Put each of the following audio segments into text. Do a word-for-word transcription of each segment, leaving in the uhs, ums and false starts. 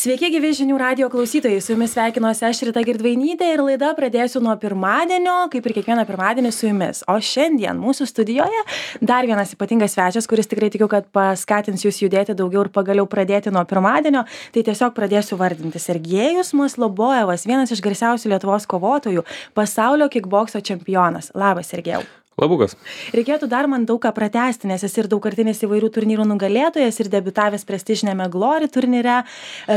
Sveiki, gyvi žinių radijo klausytojai, su jumis sveikinuosi aš Rita Girdvainytė ir laida pradėsiu nuo pirmadienio, kaip ir kiekvieną pirmadienį su jumis. O šiandien mūsų studijoje dar vienas ypatingas svečias, kuris tikrai tikiu, kad paskatins jūs judėti daugiau ir pagaliau pradėti nuo pirmadienio. Tai tiesiog pradėsiu vardinti. Sergejus Maslobojevas, vienas iš garsiausių Lietuvos kovotojų, pasaulio kikbokso čempionas. Labas, Sergejau. Labukas. Reikėtų dar man daug ką pratęsti, nes esi ir daugkartinis įvairių turnyrų nugalėtojas ir debiutavęs prestižinėme Glory turnyre.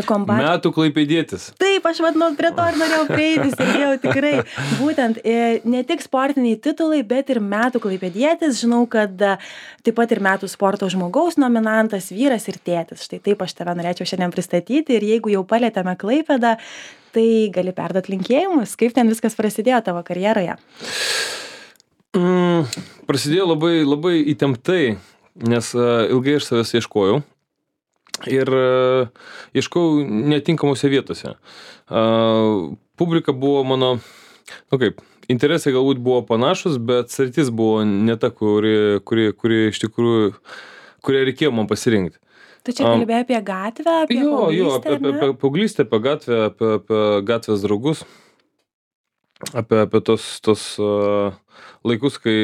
Kombat... Metų klaipėdietis. Taip, aš vadinu, prie to ir norėjau prieiti, Sergejau, tikrai. Būtent ne tik sportiniai titulai, bet ir metų klaipėdietis. Žinau, kad taip pat ir metų sporto žmogaus nominantas, vyras ir tėtis. Štai taip aš tave norėčiau šiandien pristatyti ir jeigu jau palėtėme Klaipėdą, tai gali perduoti linkėjimus. Kaip ten viskas prasidėjo tavo karjeroje? Mm, prasidėjo labai, labai įtemptai, nes uh, ilgai aš savęs ieškojau ir uh, ieškojau netinkamose vietose. Uh, publika buvo mano, nu kaip, interesai galbūt buvo panašus, bet sritis buvo ne ta, kuri, kuri, kuri iš tikrųjų, kurią reikėjo man pasirinkti. Tu čia kalbėjai apie gatvę, apie jo, paauglystę? Jo, apie, apie, apie paauglystę, apie gatvę, apie, apie gatvės draugus. Apie, apie tos, tos uh, laikus, kai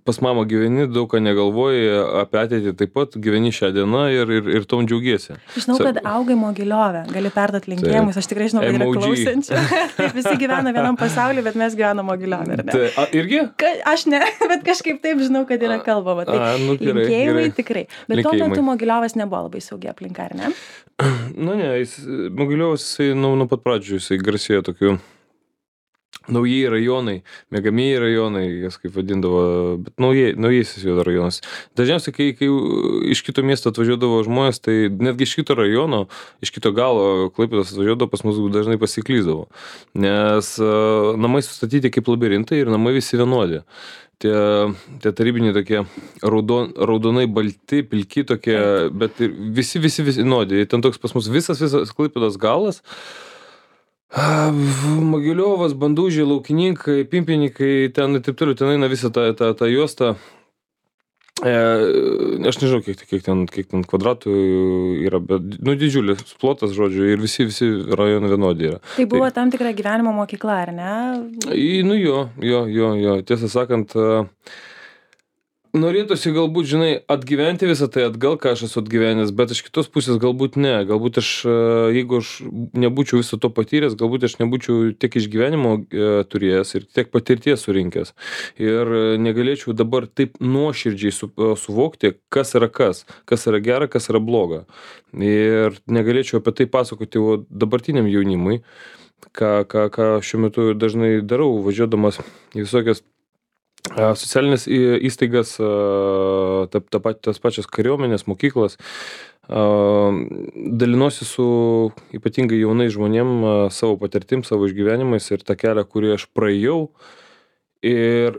pas mamą gyveni, daug ką negalvoji, apie ateitį taip pat gyveni šią dieną ir, ir, ir tom džiaugiesi. Žinau, Sa... kad augai Mogiliove, gali perduoti linkėjimus, aš tikrai žinau, kad yra klausančių. Taip, visi gyvena vienam pasauliu, bet mes gyvename Mogiliove, ar ne? Tai, a, irgi? Ka, aš ne, bet kažkaip taip žinau, kad yra kalbama. Tai a, nu, gerai, linkėjimai gerai. Tikrai. Bet linkėjimai. Tuo metu Mogiliovas nebuvo labai saugi aplinka, ar ne? Nu ne, jis, Mogiliovas, jisai nuo nu pat pradžių, jisai garsėjo tokiu naujieji rajonai, miegamieji rajonai, jas kaip vadindavo, bet naujieji, naujasis jo rajonas. Dažniausiai, kai, kai iš kito miesto atvažiuodavo žmonės, tai netgi iš kito rajono, iš kito galo Klaipėdos atvažiuodavo, pas mus dažnai pasiklyzdavo. Nes uh, namai sustatyti kaip labirintai ir namai visi vienodi. Tie, tie tarybiniai tokie raudon, raudonai balti, pilki tokie, bet visi, visi, visi vienodi. Ten toks pas mus visas, visas Klaipėdos galas. Mogiliovas, Bandužiai, Laukininkai, Pimpininkai, ten ir taip toliau, ten eina visą tą, tą, tą juostą. E, aš nežinau, kiek, kiek, ten, kiek ten kvadratų yra, bet, nu, didžiulis plotas, žodžiu, ir visi, visi rajonai vienodi yra. Tai buvo tai, tam tikra gyvenimo mokykla, ar ne? Į, nu jo, jo, jo, jo, tiesą sakant, norėtųsi galbūt, žinai, atgyventi visą tai atgal, ką aš esu atgyvenęs, bet iš kitos pusės galbūt ne. Galbūt aš, jeigu aš nebūčiau viso to patyręs, galbūt aš nebūčiau tiek išgyvenimo e, turėjęs ir tiek patirties surinkęs. Ir negalėčiau dabar taip nuoširdžiai su, suvokti, kas yra kas, kas yra gera, kas yra bloga. Ir negalėčiau apie tai pasakoti dabartiniam jaunimui, ką, ką, ką šiuo metu dažnai darau, važiuodamas į visokias socialinės įstaigas, ta, ta, tas pačias kariuomenės, mokyklas, dalinuosi su ypatingai jaunais žmonėm savo patirtim, savo išgyvenimais ir tą kelią, kurį aš praėjau ir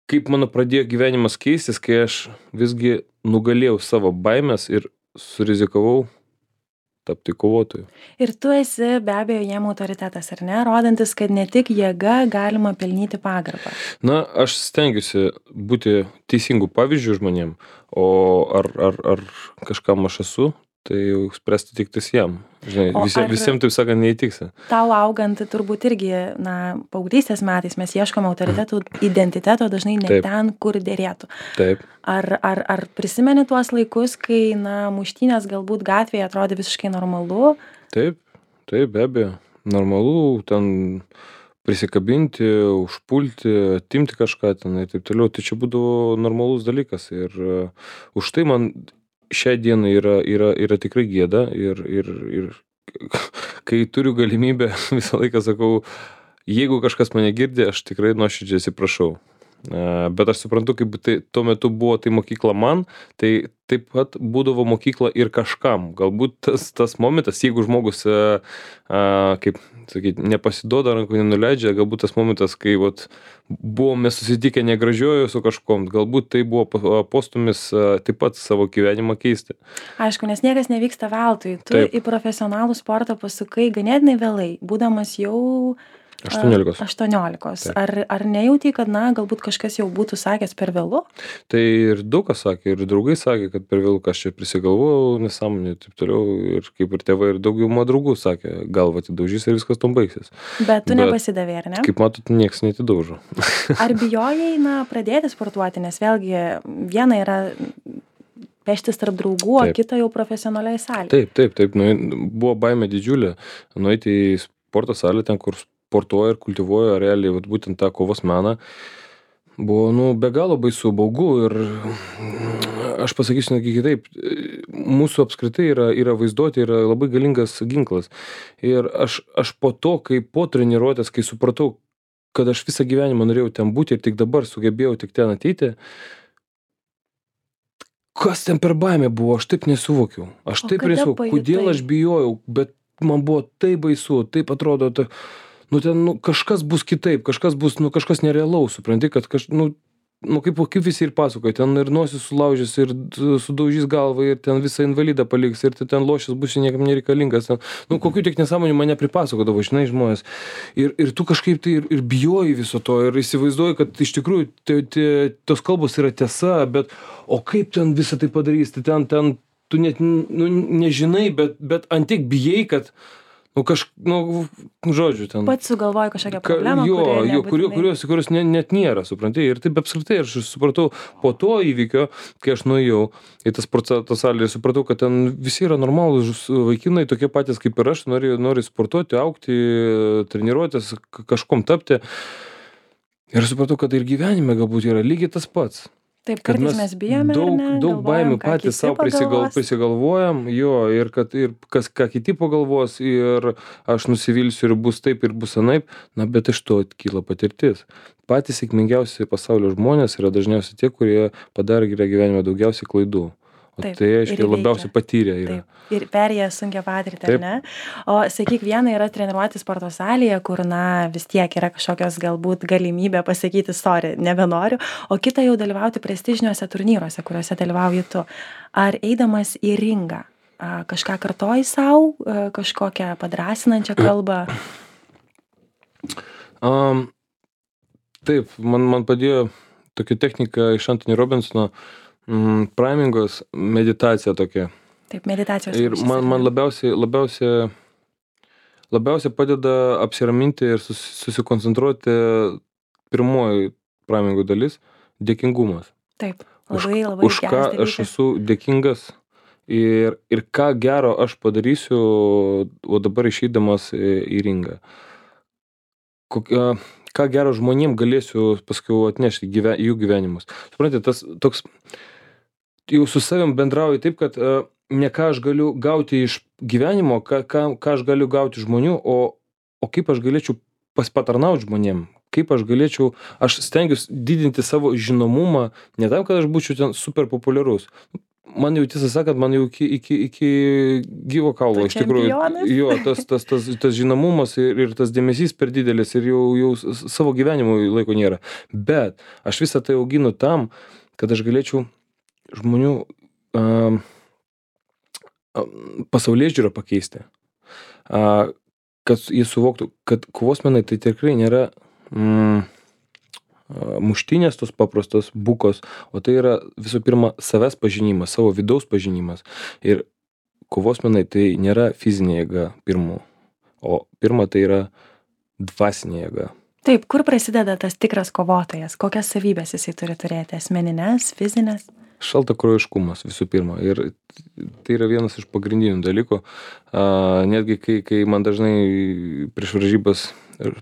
kaip mano pradėjo gyvenimas keistis, kai aš visgi nugalėjau savo baimės ir surizikavau tapti kovotoju. Ir tu esi be abejo jiem autoritetas, ar ne? Rodantis, kad ne tik jėga galima pelnyti pagarbą. Na, aš stengiuosi būti teisingų pavyzdžių žmonėm, o ar, ar, ar kažkam aš esu, tai jau spręsti tik tais jam. Žinai, visiems, visiems, taip sakant, neįtiksi. Tau augant turbūt irgi, na, paauglystės metais mes ieškome autoritetų identiteto dažnai ne Taip. Ten, kur dėrėtų. Taip. Ar, ar, ar prisimeni tuos laikus, kai, na, muštynės galbūt gatvėje atrodė visiškai normalu? Taip, taip, be abejo. Normalu, ten prisikabinti, užpulti, atimti kažką ten ir taip toliau. Tai čia būdavo normalus dalykas ir uh, už tai man šią dieną yra, yra, yra tikrai gėda ir, ir, ir kai turiu galimybę, visą laiką sakau, jeigu kažkas mane girdi, aš tikrai nuoširdžiai atsiprašau. Bet aš suprantu, kaip tai, tuo metu buvo tai mokykla man, tai taip pat būdavo mokykla ir kažkam. Galbūt tas, tas momentas, jeigu žmogus, a, a, kaip sakyti, nepasiduoda, rankų nenuleidžia, galbūt tas momentas, kai vat, buvome susitikę negražiojo su kažkom, galbūt tai buvo postumis a, taip pat savo gyvenimą keisti. Aišku, nes niekas nevyksta veltui. Tu taip. Į profesionalų sportą pasukai ganėtinai vėlai, būdamas jau aštuoniolikos. aštuoniolikos. Taip. Ar, ar nejauti, kad, na, galbūt kažkas jau būtų sakęs per vėlu? Tai ir daug kas sakė, ir draugai sakė, kad per vėlu, kas čia prisigalvojau, nesąmonė, taip toliau, ir kaip ir tėvai, ir daugiau mano draugų sakė, galva atidaužys ir viskas tom baigsis. Bet tu Bet, nepasidavė, ar ne? Kaip matot, nieks netidaužo. Ar bijojai, na, pradėti sportuoti, nes vėlgi viena yra peštis tarp draugų, o Taip. kita jau profesionaliai salė. Taip, taip, taip, nu, buvo baimė didžiulė, nueiti į sporto salę, ten, kur sportuoja ir kultivuoja realiai, vat, būtent tą kovos meną. Buvo, nu, be galo baisu, baugu ir aš pasakysiu netgi kitaip, mūsų apskritai yra, yra vaizduoti, yra labai galingas ginklas. Ir aš, aš po to, kai po treniruotės, kai supratau, kad aš visą gyvenimą norėjau ten būti ir tik dabar sugebėjau tik ten ateiti, kas ten per baimė buvo, aš taip nesuvokiau. Aš O taip kada nesuvokiau, pajutai? kodėl aš bijojau, bet man buvo taip baisu, taip atrodo, ta, nu ten nu, kažkas bus kitaip, kažkas bus, nu kažkas nerealaus, supranti, kad kaž, nu, nu kaip, kaip visi ir pasakoja, ten ir nosis sulaužys, ir sudaužys galvą, ir ten visą invalidą paliks, ir ten lošis bus niekam nereikalingas. Ten, nu kokių tik nesąmonių mane pripasakodavo, žinai, žmonės. Ir, ir tu kažkaip tai ir, ir bijoji viso to, ir įsivaizduoji, kad iš tikrųjų te, te, tos kalbos yra tiesa, bet o kaip ten visą tai padarys, tai ten, ten tu net nu, nežinai, bet, bet antiek bijai, kad nu kaž, nu, žodžiu, ten. Pats sugalvoji kažkokią Ka, problemą, jo, kuri jo, kurios, nebūtinai- kurios, kurios ne, net nėra, supranti. Ir taip apskritai aš supratau po to įvykio, kai aš nuėjau į tas sporto salę ir supratau, kad ten visi yra normalūs vaikinai, tokie patys kaip ir aš, nori, nori sportuoti, augti, treniruotis, k- kažkom tapti. Ir supratau, kad ir gyvenime galbūt yra lygiai tas pats. Taip, Kad kartais mes bijome, daug, ar ne? daug Galvojam, baimių ką patys kiti savo prisigal, pagalvos. prisigalvojam, jo, ir kad ir kas, ką kiti pagalvos, ir aš nusivilsiu ir bus taip, ir bus anaip, na, bet iš to kyla patirtis. Patys sėkmingiausi pasaulio žmonės yra dažniausiai tie, kurie padarė gyvenime daugiausiai klaidų. O Taip, tai ir aiškiai įveikia. labiausiai patyrę yra. Taip, ir perėję sunkia patirtį, ar Taip. ne? O sakyk, viena yra treniruoti sporto salėje, kur, na, vis tiek yra kažkokios galbūt galimybė pasakyti, sorry, nebenoriu, o kita jau dalyvauti prestižiniuose turnyruose, kuriuose dalyvauji tu. Ar eidamas į ringą, a, kažką kartoji savo, kažkokią padrasinančią kalbą? Um, taip, man, man padėjo tokia technika iš Anthony Robinsono, mm, primingos meditacija tokia. Taip, meditacijos. Ir rūšis, man, ar ne? man labiausiai, labiausiai, labiausiai padeda apsiraminti ir sus, susikoncentruoti pirmoji primingų dalis - dėkingumas. Taip, Už, labai, labai už ką geras aš dalykas. esu dėkingas ir, ir ką gero aš padarysiu, o dabar išeidamas į, į ringą. Kokia, ką gero žmonėm galėsiu paskui atnešti gyve, į jų gyvenimus. Suprantate, tas toks, jau su savim bendrauju taip, kad uh, ne ką aš galiu gauti iš gyvenimo, ką, ką, ką aš galiu gauti žmonių, o, o kaip aš galėčiau paspatarnauti žmonėm. Kaip aš galėčiau, aš stengiuosi didinti savo žinomumą, ne tam, kad aš būčiau ten super populiarus. Man jau tiesą sakant, man jau iki, iki, iki gyvo kaulo, Tu iš tikrųjų, čempionas? jo, tas, tas, tas, tas žinomumas ir, ir tas dėmesys per didelis ir jau, jau s- savo gyvenimui laiko nėra. Bet aš visą tai auginu tam, kad aš galėčiau žmonių um, pasaulyje žiūrą pakeisti. Uh, kad jie suvoktų, kad kovos menai tai tikrai nėra mm, muštinės tos paprastos bukos, o tai yra visų pirma savęs pažinimas, savo vidaus pažinimas. Ir kovos menai tai nėra fizinė jėga pirmu, o pirma tai yra dvasinė jėga. Taip, kur prasideda tas tikras kovotojas? Kokias savybės jisai turi turėti? Asmeninės, fizinės? Šaltakraujiškumas visų pirma. Ir tai yra vienas iš pagrindinių dalykų. A, netgi kai, kai man dažnai prieš varžybas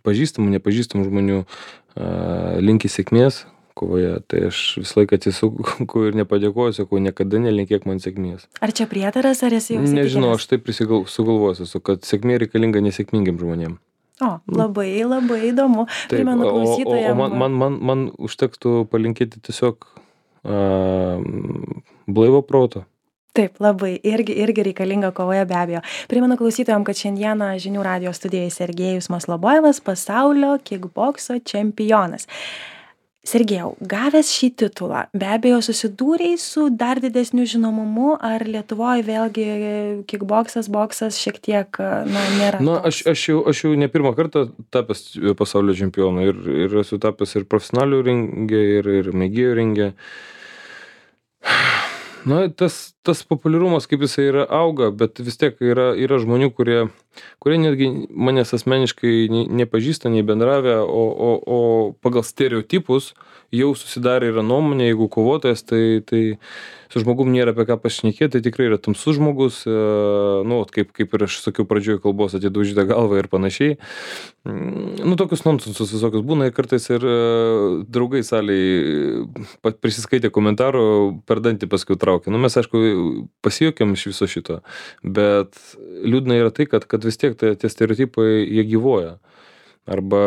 pažįstamų, nepažįstamų žmonių a, linki sėkmės kovoje, tai aš visą laiką atsisuku ir nepadėkoju, sakau, niekada nelinkėk man sėkmės. Ar čia prietaras, ar esi jau Nežinau, įsitikinęs? aš taip prisigal- sugalvosiu, esu, kad sėkmė reikalinga nesėkmingiem žmonėm. O, labai, labai įdomu. Taip, Primenu o, o, o klausytojams. man, man, man, man užtektų palinkėti tiesiog a, blaivo proto. Taip, labai, irgi, irgi reikalinga kovoje be abejo. Primenu klausytojams, kad šiandieną žinių radio studijoje Sergejus Maslobojevas, pasaulio kickbokso čempionas. Sergejau, gavęs šį titulą, be abejo susidūrei su dar didesniu žinomumu, ar Lietuvoje vėlgi kickboksas, boksas šiek tiek, na, nėra Na, toks? aš, aš, jau, aš jau ne pirmą kartą tapęs pasaulio čempionu ir, ir esu tapęs ir profesionalių ringe, ir, ir mėgėjų ringe. Na, tas, tas populiarumas, kaip jisai yra, auga, bet vis tiek yra, yra žmonių, kurie, kurie netgi manęs asmeniškai nei, nepažįsta, nei bendravę, o, o, o pagal stereotipus jau susidarė yra nuomonė, jeigu kovotojas, tai, tai su žmogum nėra apie ką pašnekėti, tai tikrai yra tamsus žmogus, e, nu, kaip, kaip ir aš sakiau pradžioje kalbos, atidaužyta galva ir panašiai. Nu, tokius nonsensus visokius būna ir kartais ir e, draugai salėje prisiskaitė komentarų, per dantį paskui traukia. Nu, mes, aišku, pasijuokėm iš viso šito, bet liūdna yra tai, kad, kad vis tiek tai, tie stereotipai, jie gyvuoja. Arba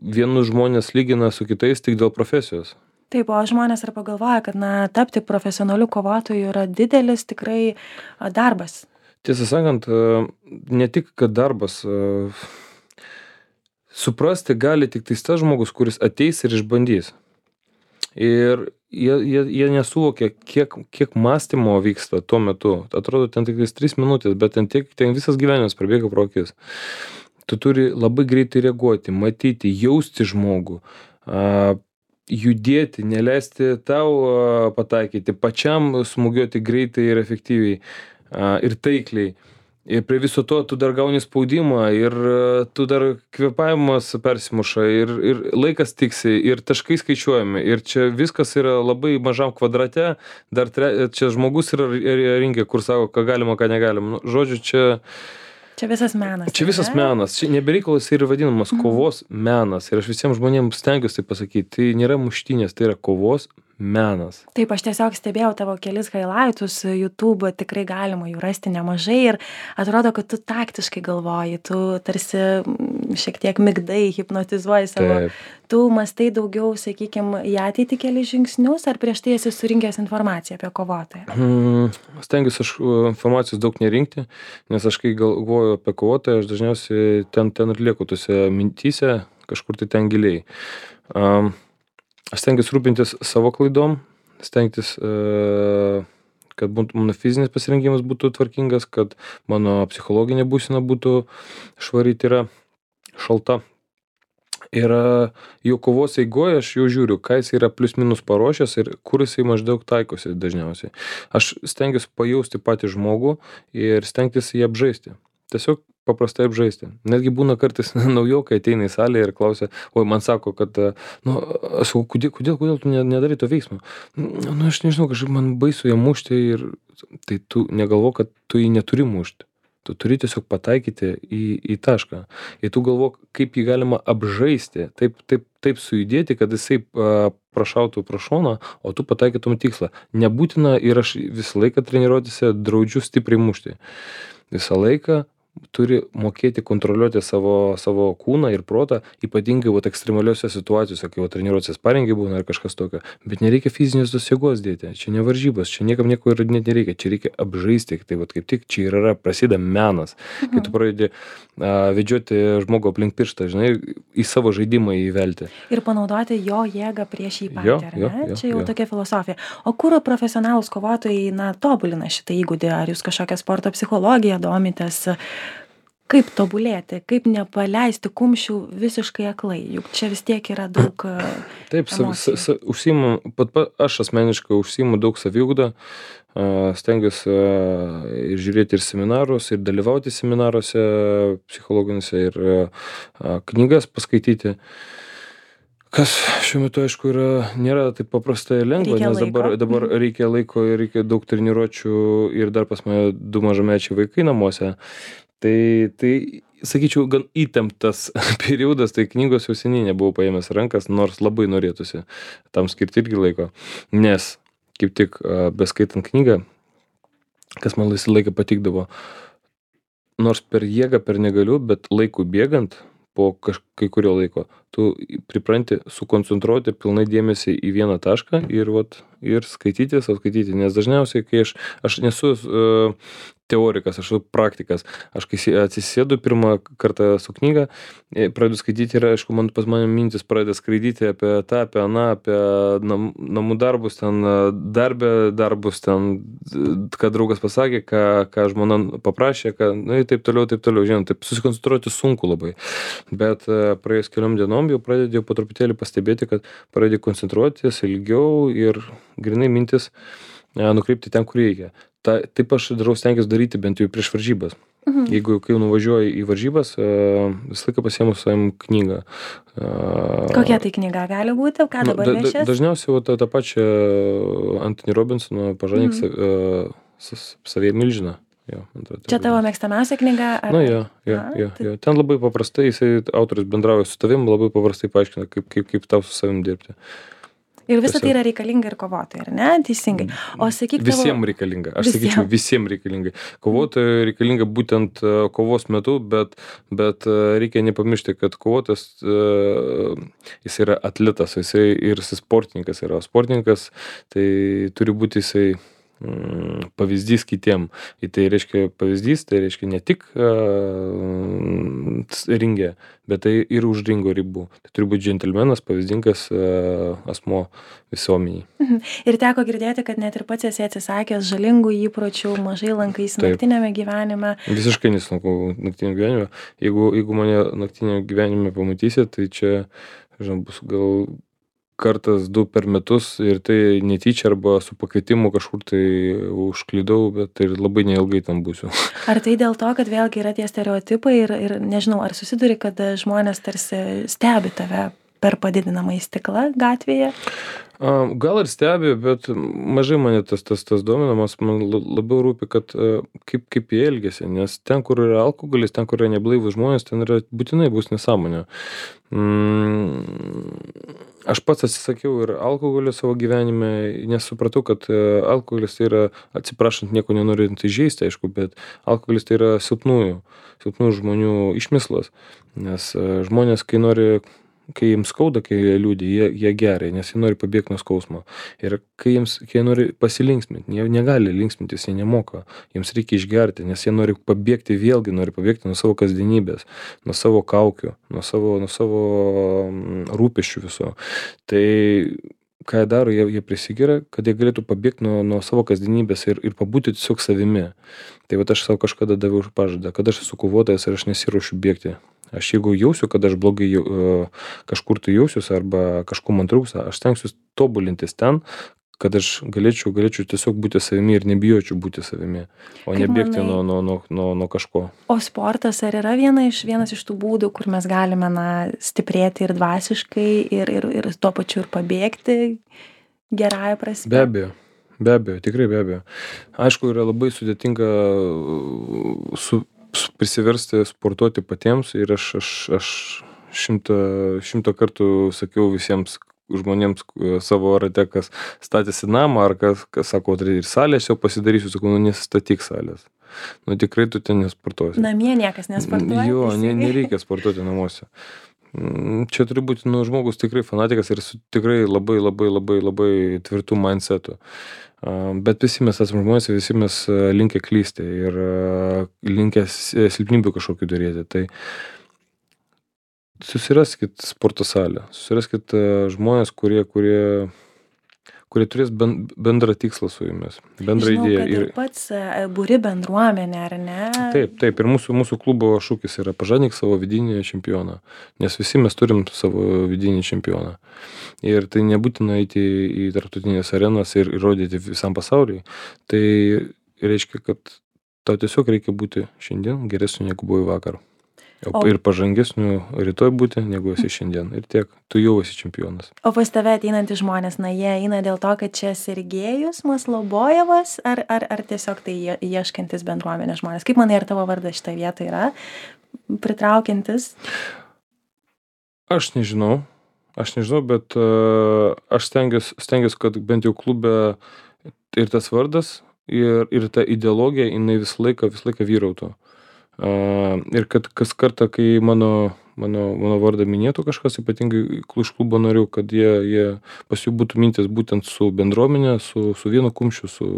vienus žmonės lygina su kitais tik dėl profesijos. Taip, o žmonės ir pagalvoja, kad, na, tapti profesionaliu kovotoju yra didelis tikrai a, darbas. Tiesą sakant, e, ne tik, kad darbas, e, suprasti gali tik tais tas žmogus, kuris ateis ir išbandys. Ir jie, jie, jie nesuvokia, kiek, kiek mąstymo vyksta tuo metu. Atrodo, ten tik tais tris minutės, bet ten, tiek, ten visas gyvenimas prabėga pro akis. Tu turi labai greitai reaguoti, matyti, jausti žmogų, a, judėti, neleisti tau a, pataikyti, pačiam smūgiuoti greitai ir efektyviai a, ir taikliai. Ir prie viso to tu dar gauni spaudimą ir a, tu dar kvėpavimas persimuša ir, ir laikas tiksi ir taškai skaičiuojami. Ir čia viskas yra labai mažam kvadrate, dar tre, čia žmogus yra ringe, kur sako, ką galima, ką negalima. Nu, žodžiu, čia... Čia visas menas. Čia visas menas. Čia nebereikalas ir vadinamas kovos menas. Ir aš visiems žmonėms stengiuosi tai pasakyti. Tai nėra muštynės, tai yra kovos menas. Taip, aš tiesiog stebėjau tavo kelis highlightus YouTube, tikrai galima jų rasti nemažai ir atrodo, kad tu taktiškai galvoji, tu tarsi šiek tiek migdai, hipnotizuoji savo. Taip. Tu mastai daugiau, sakykime, į ateitį keli žingsnius, ar prieš tai esi surinkęs informaciją apie kovotoją? Hmm, stengiuosi aš informacijos daug nerinkti, nes aš kai galvoju apie kovotoją, aš dažniausiai ten, ten ir lieku tose mintyse, kažkur tai ten giliai. Um, aš stengiuosi rūpintis savo klaidom, stengtis, uh, kad būtų, mano fizinis pasirengimas būtų tvarkingas, kad mano psichologinė būsena būtų švari, tai yra šalta. Ir jau kovos eigoje aš jau žiūriu, ką jis yra plius minus paruošęs ir kur jisai maždaug taikosi dažniausiai. Aš stengiuosi pajausti patį žmogų ir stengtis jį apžaisti. Tiesiog paprastai apžaisti. Netgi būna kartais naujokai ateina į salę ir klausia, oi, man sako, kad, nu, aš sakau, kodėl, kodėl, kodėl tu nedarai to veiksmo? Nu, aš nežinau, kažkaip man baisu ją mušti ir tai tu negalvo, kad tu jį neturi mušti. Tu turi tiesiog pataikyti į, į tašką. Ir tu galvok, kaip jį galima apžaisti, taip, taip, taip sujudėti, kad jisai a, prašautų pro šoną, o tu pataikytum tikslą. Nebūtina ir aš visą laiką treniruotėse draudžiu stipriai mušti. Visą laiką turi mokėti kontroliuoti savo, savo kūną ir protą, ypatingai vat, ekstremaliuose situacijose, kai treniruotės parengiai būna ar kažkas tokio. Bet nereikia fizinės tos jėgos dėti. Čia ne varžybos, čia niekam nieko įrodinėti nereikia. Čia reikia apžaisti. Tai vat, kaip tik čia yra prasideda menas. Mhm. Kai tu pradedi a, vedžioti žmogų aplink pirštą, žinai, į savo žaidimą įvelti. Ir panaudoti jo jėgą prieš jį patį, Jo, ar ne? jo, jo, čia jau jo. tokia filosofija. O kur profesionalūs kovotojai, na, tobulina šitą įgūdį? Ar jūs kažkokią sporto psichologiją domitės? Kaip tobulėti, kaip nepaleisti kumščių visiškai aklai, juk čia vis tiek yra daug a, Taip, sa, sa, emocijų. sa, užsiimu, pat, pat, aš asmeniškai užsiimu daug saviugdą, a, stengiuosi a, ir žiūrėti ir seminarus, ir dalyvauti seminaruose psichologiniuose, ir a, knygas paskaityti. Kas šiuo metu, aišku, yra, nėra taip paprastai ir lengva, Reikia nes dabar, laiko. dabar reikia laiko ir reikia daug treniruočių ir dar pas mane du mažamečiai vaikai namuose. Tai, tai sakyčiau, gan įtemptas periodas, tai knygos jau seniai nebuvau paėmęs rankas, nors labai norėtųsi tam skirti irgi laiko. Nes, kaip tik a, beskaitant knygą, kas man visą laiką patikdavo, nors per jėgą, per negaliu, bet laiku bėgant, po kaž, kai kurio laiko, tu pripranti sukoncentruoti pilnai dėmesį į vieną tašką ir vat ir skaityti sau skaityti, nes dažniausiai, kai aš aš nesu uh, teorikas, aš esu praktikas. Aš kai si- atsisėdu pirmą kartą su knyga, e, pradedu skaityti ir aišku, man pas mane mintis pradeda skraidyti apie tą, apie aną, apie nam, namų darbus, ten e, darbę darbus, ten, e, ką draugas pasakė, ką, ką žmona paprašė, ką, nu ir taip toliau, taip toliau, žinot, taip susikoncentruoti sunku labai. Bet e, praėjus keliom dienom jau pradėjau po truputėlį pastebėti, kad pradėjau koncentruotis ilgiau ir grinai mintis e, nukreipti ten, kur reikia. Ta, taip aš darau stengiuosi daryti bent jau prieš varžybas. Mhm. Jeigu kai jau nuvažiuoju į varžybas, e, visą laiką pasiemu su savim knygą. E, Kokia tai knyga gali būti? Ką nu, dabar da, da, nešies? dažniausiai va, tą, tą pačią Anthony Robinsono pažadink Mhm. sa- e, sa- savie milžiną. Jo, man atrodo, taip Čia tavo vadinasi. mėgstamiausia knyga? Ar... Na, jo, jo, A, jo, tai- jo. Ten labai paprastai, jisai autorius bendrauja su tavim, labai paprastai paaiškina, kaip, kaip, kaip tau su savim dirbti. Ir visa tai Tiesiog. yra reikalinga ir kovotojai, ar ne? Teisingai. O sakyk, tavo... Visiems reikalinga. Aš Visiem. sakyčiau, visiems reikalinga. Kovotojai reikalinga būtent e, kovos metu, bet, bet e, reikia nepamiršti, kad kovotas, e, jis yra atletas, jisai ir jisai sportininkas yra. O sportininkas tai turi būti jisai mm, pavyzdys kitiem. Ir tai reiškia pavyzdys, tai reiškia ne tik uh, ringė, bet tai ir už ringo ribų. Tai turi būti džentelmenas, pavyzdingas uh, asmo visuomeniai. Mhm. Ir teko girdėti, kad net ir pats esi atsisakęs žalingų įpročių, mažai lankaisi Taip. naktinėme gyvenime. Visiškai nesilankau naktinio gyvenime. Jeigu, jeigu mane naktinio gyvenime pamatysit, tai čia, žinau, bus gal kartas du per metus ir tai netyčia arba su pakvietimu kažkur tai užklydau, bet tai labai neilgai tam būsiu. Ar tai dėl to, kad vėlgi yra tie stereotipai ir, ir nežinau, ar susiduri, kad žmonės tarsi stebi tave per padidinamąjį stiklą gatvėje? A, Gal ir stebi, bet mažai mane tas, tas, tas dominamas, man la- labiau rūpi, kad a, kaip, kaip jie elgesi, nes ten, kur yra alkoholis, ten, kur yra neblaivus žmonės, ten yra būtinai bus nesąmonė. Mm, aš pats atsisakiau ir alkoholio savo gyvenime, nes supratau, kad e, alkoholis tai yra, atsiprašant, nieko nenorint įžeisti, aišku, bet alkoholis tai yra silpnųjų, silpnųjų žmonių išmislas, nes e, žmonės, kai nori kai jiems skauda, kai jie liūdi, jie, jie geria, nes jie nori pabėgti nuo skausmo. Ir kai jiems, kai jie nori pasilinksminti, jie negali linksmintis, jie nemoka, jiems reikia išgerti, nes jie nori pabėgti, vėlgi nori pabėgti nuo savo kasdienybės, nuo savo kaukių, nuo savo, nuo savo mm, rūpesčių viso. Tai ką jie daro, jie, jie prisigeria, kad jie galėtų pabėgti nuo, nuo savo kasdienybės ir, ir pabūti tiesiog savimi. Tai va aš savo kažkada daviau pažadą, kad aš esu kovotojas ir aš nesiruošiu bėgti. Aš jeigu jausiu, kad aš blogai jau, uh, kažkur tai jausiuosi arba kažko man trūksta, aš stengsiuosi tobulintis ten, kad aš galėčiau, galėčiau tiesiog būti savimi ir nebijočiau būti savimi, o Kaip nebėgti manai- nuo, nuo, nuo, nuo, nuo kažko. O sportas ar yra viena iš, vienas iš tų būdų, kur mes galime na, stiprėti ir dvasiškai, ir, ir, ir tuo pačiu ir pabėgti gerąją prasme? Be abejo. Be abejo, tikrai be abejo. Aišku, yra labai sudėtinga uh, su, su prisiversti sportuoti patiems ir aš, aš, aš šimtą, šimtą kartų sakiau visiems žmonėms uh, savo rate, kas statėsi namą ar kas, kas sako, tai ir salę aš jau pasidarysiu, sakau, nu nesistatyk salės. Nu tikrai tu ten nesportuosi. Namie niekas nesportuoja. Jo, ne, teisingai? nereikia sportuoti namuose. Mm, Čia turi būti nu, žmogus tikrai fanatikas ir su tikrai labai labai labai labai tvirtų mindsetų. A, Bet visi mes esame žmonės, visi mes a, linkę klysti ir a, linkę s- silpnybių kažkokių daryti. Tai susiraskit sporto salę, susiraskit a, žmonės, kurie, kurie, kurie turės ben, bendrą tikslą su jumis, bendrą Žinau, idėją. kad ir pats e, buri bendruomenę, ar ne? Taip, taip, ir mūsų, mūsų klubo šūkis yra pažadink savo vidinį čempioną, nes visi mes turim savo vidinį čempioną. Ir tai nebūtina eiti į tarptautinės arenas ir įrodyti visam pasauliui. Tai reiškia, kad tau tiesiog reikia būti šiandien geresniu negu buvai vakar. O, O- ir pažangesniu rytoj būti, negu esi šiandien. Ir tiek, tu jau esi čempionas. O pas tave ateinantys žmonės, na jie eina dėl to, kad čia Sergejus Maslobojevas, ar, ar, ar tiesiog tai ie- ieškantis bendruomenės žmonės? Kaip manai, ar tavo vardas šitą vietą yra pritraukiantis? Aš nežinau, aš nežinau, bet uh, aš stengiuosi, stengiuosi, kad bent jau klube ir tas vardas, ir, ir ta ideologija, jinai visą laiką, visą laiką vyrautų. Uh, ir kad kas kartą, kai mano, mano, mano vardą minėtų kažkas, ypatingai iš klubo narių, kad jie, jie pas jų būtų mintis būtent su bendruomenė, su, su vienu kumščiu, su,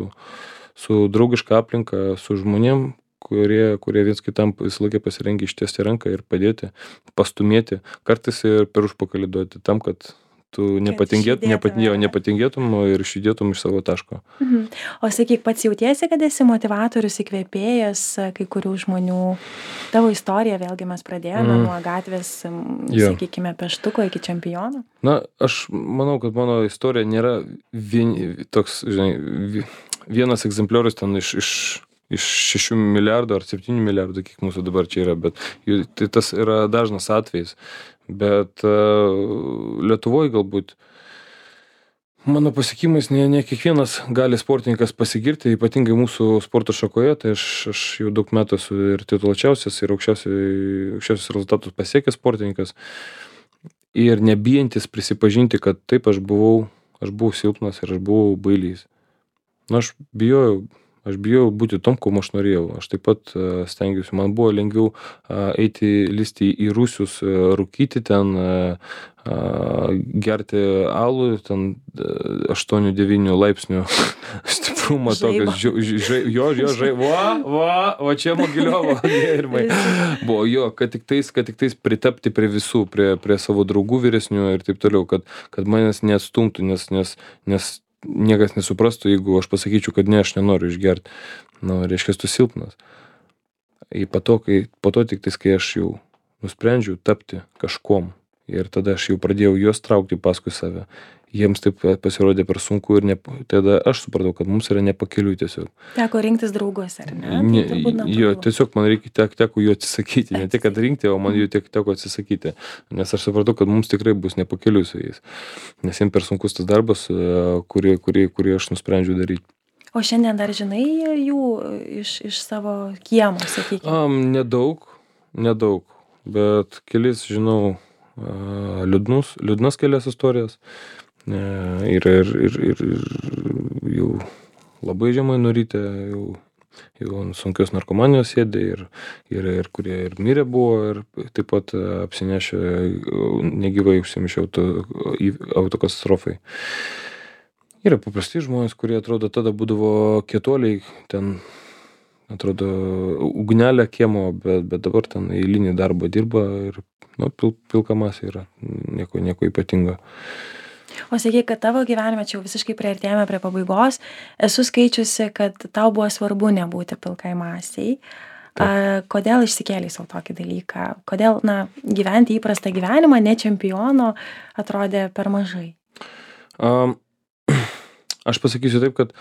su draugiška aplinka, su žmonėm, kurie, kurie viens kitam visą laiką pasirengę ištiesti ranką ir padėti, pastumėti, kartais ir per užpakalį duoti tam, kad tu nepatingėt, nepat, jo, nepatingėtum ir išjudėtum iš savo taško. Mhm. O sakyk, pats jautiesi, kad esi motivatorius, įkvėpėjas kai kurių žmonių? Tavo istoriją vėlgi mes pradėjome mm. nuo gatvės, yeah. sakykime, peštuko iki čempiono. Na, aš manau, kad mano istorija nėra vien, toks, žinai, vienas egzempliorius ten iš, iš, iš šešių milijardų ar septynių milijardų, kiek mūsų dabar čia yra, bet tai tas yra dažnas atvejis. Bet uh, Lietuvoje galbūt mano pasiekimais ne, ne kiekvienas gali sportininkas pasigirti, ypatingai mūsų sporto šakoje, tai aš, aš jau daug metų esu ir tituluočiausias, ir aukščiausius rezultatus pasiekęs sportininkas ir nebijantis prisipažinti, kad taip aš buvau, aš buvau silpnas ir aš buvau bailys. Na, aš bijojau. Aš bijau būti tom, kuo aš norėjau. Aš taip pat uh, stengiausi. Man buvo lengviau uh, eiti, listi į rūsius, uh, rūkyti ten, uh, uh, gerti alų, ten uh, aštuonių devynių laipsnių stiprumo tokios. Jo, jo, jo, žai, va, va, va čia Mogiliovo gėrimai. Buvo jo, kad tik tais, kad tik tais pritapti prie visų, prie, prie savo draugų vyresnių ir taip toliau, kad, kad manęs neatstumtų, nes, nes, nes niekas nesuprastų, jeigu aš pasakyčiau, kad ne, aš nenoriu išgerti. Nu, reiškia, tu silpnas. Ir po to, kai, po to tik tais, kai aš jau nusprendžiau tapti kažkom ir tada aš jau pradėjau juos traukti paskui save, jiems taip pasirodė per sunku ir ne, tada aš supratau, kad mums yra nepakeliui tiesiog. Teko rinktis draugus, ar ne? ne jo, tiesiog man reikia, tek, teko jų atsisakyti, ne tik, kad rinkti, o man jų tek, teko atsisakyti, nes aš supratau, kad mums tikrai bus nepakeliui su jais, nes jiems per sunkus tas darbas, kurį, kurį, kurį aš nusprendžiau daryti. O šiandien dar žinai jų iš, iš savo kiemo, sakykime? Um, nedaug, nedaug, bet kelis žinau uh, liūdnus, liūdnas kelias istorijas. Ir, ir, ir, ir, ir jau labai žemai nurytę, jau, jau sunkios narkomanijos sėdė ir, ir, ir kurie ir mirė buvo ir taip pat apsinešė negyvai užsimišę auto, autokatastrofai. Yra paprasti žmonės, kurie atrodo tada būdavo kietuoliai, ten atrodo ugnelė kiemo, bet, bet dabar ten eilinį darbą dirba ir nu, pil, pilka masė yra, nieko, nieko ypatingo. O sakyk, kad tavo gyvenime, čia jau visiškai priartėjame prie pabaigos, esu skaičiusi, kad tau buvo svarbu nebūti pilkai masiai. A, kodėl išsikėlei savo tokį dalyką? Kodėl, na, gyventi įprastą gyvenimą, ne čempiono, atrodė per mažai? Um, aš pasakysiu taip, kad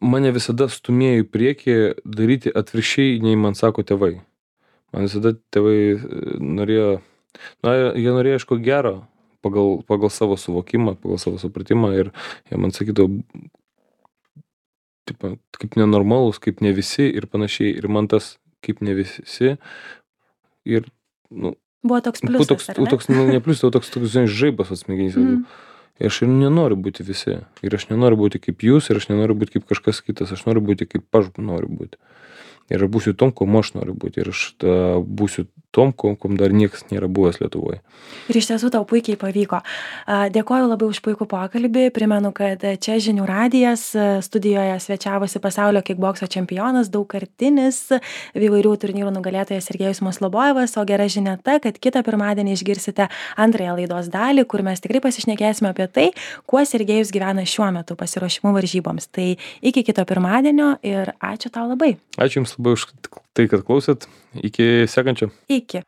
mane visada stumėjo į priekį daryti atvirkščiai, nei man sako tėvai. Man visada tėvai norėjo, na, jie norėjo aišku gero, pagal, pagal savo suvokimą, pagal savo supratimą ir jie man sakydavo, tipo, kaip nenormalus, kaip ne visi ir panašiai. Ir man tas kaip ne visi ir, nu, buvo toks pliusas, toks, ar ne? Toks, nu, ne pliusas, toks, toks, žinai, žaibas atsmegenys. Mm. Ir aš ir nenoriu būti visi. Ir aš nenoriu būti kaip jūs, ir aš nenoriu būti kaip kažkas kitas. Aš noriu būti kaip aš noriu būti. Ir aš būsiu tom, kuo aš noriu būti. Ir aš ta, būsiu tom, kuo dar niekas nėra buvęs Lietuvoje. Ir iš tiesų tau puikiai pavyko. Dėkoju labai už puikų pokalbį. Primenu, kad čia Žinių radijas studijoje svečiavosi pasaulio kickbokso čempionas, daugkartinis įvairių turnyrų nugalėtojas Sergejus Maslobojevas. O gera žinia ta, kad kitą pirmadienį išgirsite antrąją laidos dalį, kur mes tikrai pasišnekėsime apie tai, kuo Sergejus gyvena šiuo metu pasiruošimų varžyboms. Tai iki kito pirmadienio ir ačiū tau labai. Ačiū Jums labai už tai, kad klausėt. Iki sekančio. Iki.